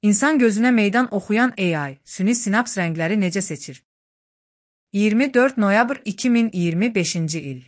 İnsan gözünə meydan oxuyan AI, süni sinaps rəngləri necə seçir? 24 noyabr 2025-ci il.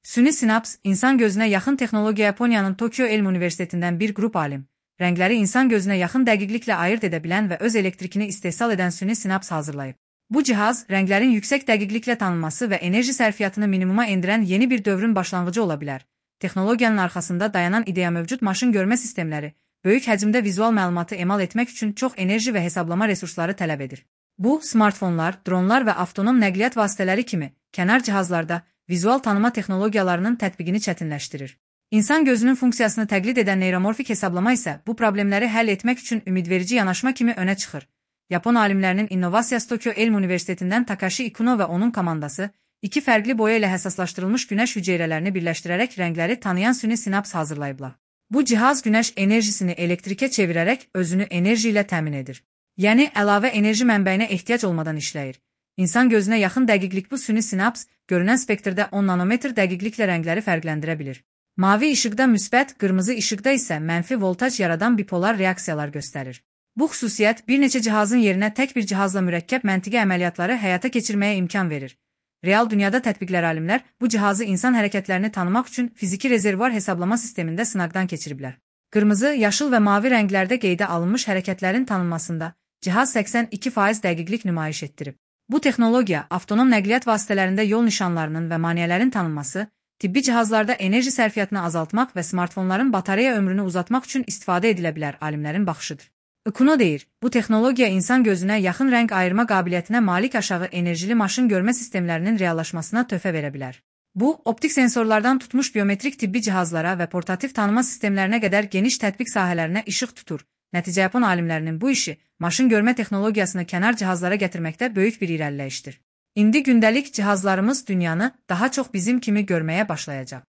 Süni sinaps, insan gözünə yaxın texnologiya Yaponiyanın Tokyo Elm Universitetindən bir qrup alim, rəngləri insan gözünə yaxın dəqiqliklə ayırt edə bilən və öz elektrikini istehsal edən süni sinaps hazırlayıb. Bu cihaz, rənglərin yüksək dəqiqliklə tanınması və enerji sərfiyyatını minimuma endirən yeni bir dövrün başlanğıcı ola bilər. Texnologiyanın arxasında dayanan ideya mövcud maşın görmə sistemləri, böyük həcmdə vizual məlumatı emal etmək üçün çox enerji və hesablama resursları tələb edir. Bu, smartfonlar, dronlar və avtonom nəqliyyat vasitələri kimi kənar cihazlarda vizual tanıma texnologiyalarının tətbiqini çətinləşdirir. İnsan gözünün funksiyasını təqlid edən neyromorfik hesablama isə bu problemləri həll etmək üçün ümidverici yanaşma kimi önə çıxır. Yapon alimlərinin innovasiyası Tokyo Elm Universitetindən Takashi Ikuno və onun komandası iki fərqli boya ilə həssaslaşdırılmış günəş hüceyrələrini birləşdirərək rəngləri tanıyan süni sinaps hazırlayıblar. Bu cihaz günəş enerjisini elektrikə çevirərək özünü enerji ilə təmin edir. Yəni, əlavə enerji mənbəyinə ehtiyac olmadan işləyir. İnsan gözünə yaxın dəqiqlik bu süni sinaps, görünən spektrdə 10 nanometr dəqiqliklə rəngləri fərqləndirə bilir. Mavi işıqda müsbət, qırmızı işıqda isə mənfi voltaj yaradan bipolar reaksiyalar göstərir. Bu xüsusiyyət bir neçə cihazın yerinə tək bir cihazla mürəkkəb məntiqi əməliyyatları həyata keçirməyə imkan verir. Real dünyada tətbiqlər alimlər bu cihazı insan hərəkətlərini tanımaq üçün fiziki rezervuar hesablama sistemində sınaqdan keçiriblər. Qırmızı, yaşıl və mavi rənglərdə qeydə alınmış hərəkətlərin tanınmasında cihaz 82% dəqiqlik nümayiş etdirib. Bu texnologiya avtonom nəqliyyat vasitələrində yol nişanlarının və maneələrin tanınması, tibbi cihazlarda enerji sərfiyyatını azaltmaq və smartfonların batareya ömrünü uzatmaq üçün istifadə edilə bilər alimlərin baxışıdır. Ikuno deyir, bu texnologiya insan gözünə yaxın rəng ayırma qabiliyyətinə malik aşağı enerjili maşın görmə sistemlərinin reallaşmasına töhfə verə bilər. Bu, optik sensorlardan tutmuş biometrik tibbi cihazlara və portativ tanıma sistemlərinə qədər geniş tətbiq sahələrinə işıq tutur. Nəticə Yapon alimlərinin bu işi, maşın görmə texnologiyasını kənar cihazlara gətirməkdə böyük bir irəliləyişdir. İndi gündəlik cihazlarımız dünyanı daha çox bizim kimi görməyə başlayacaq.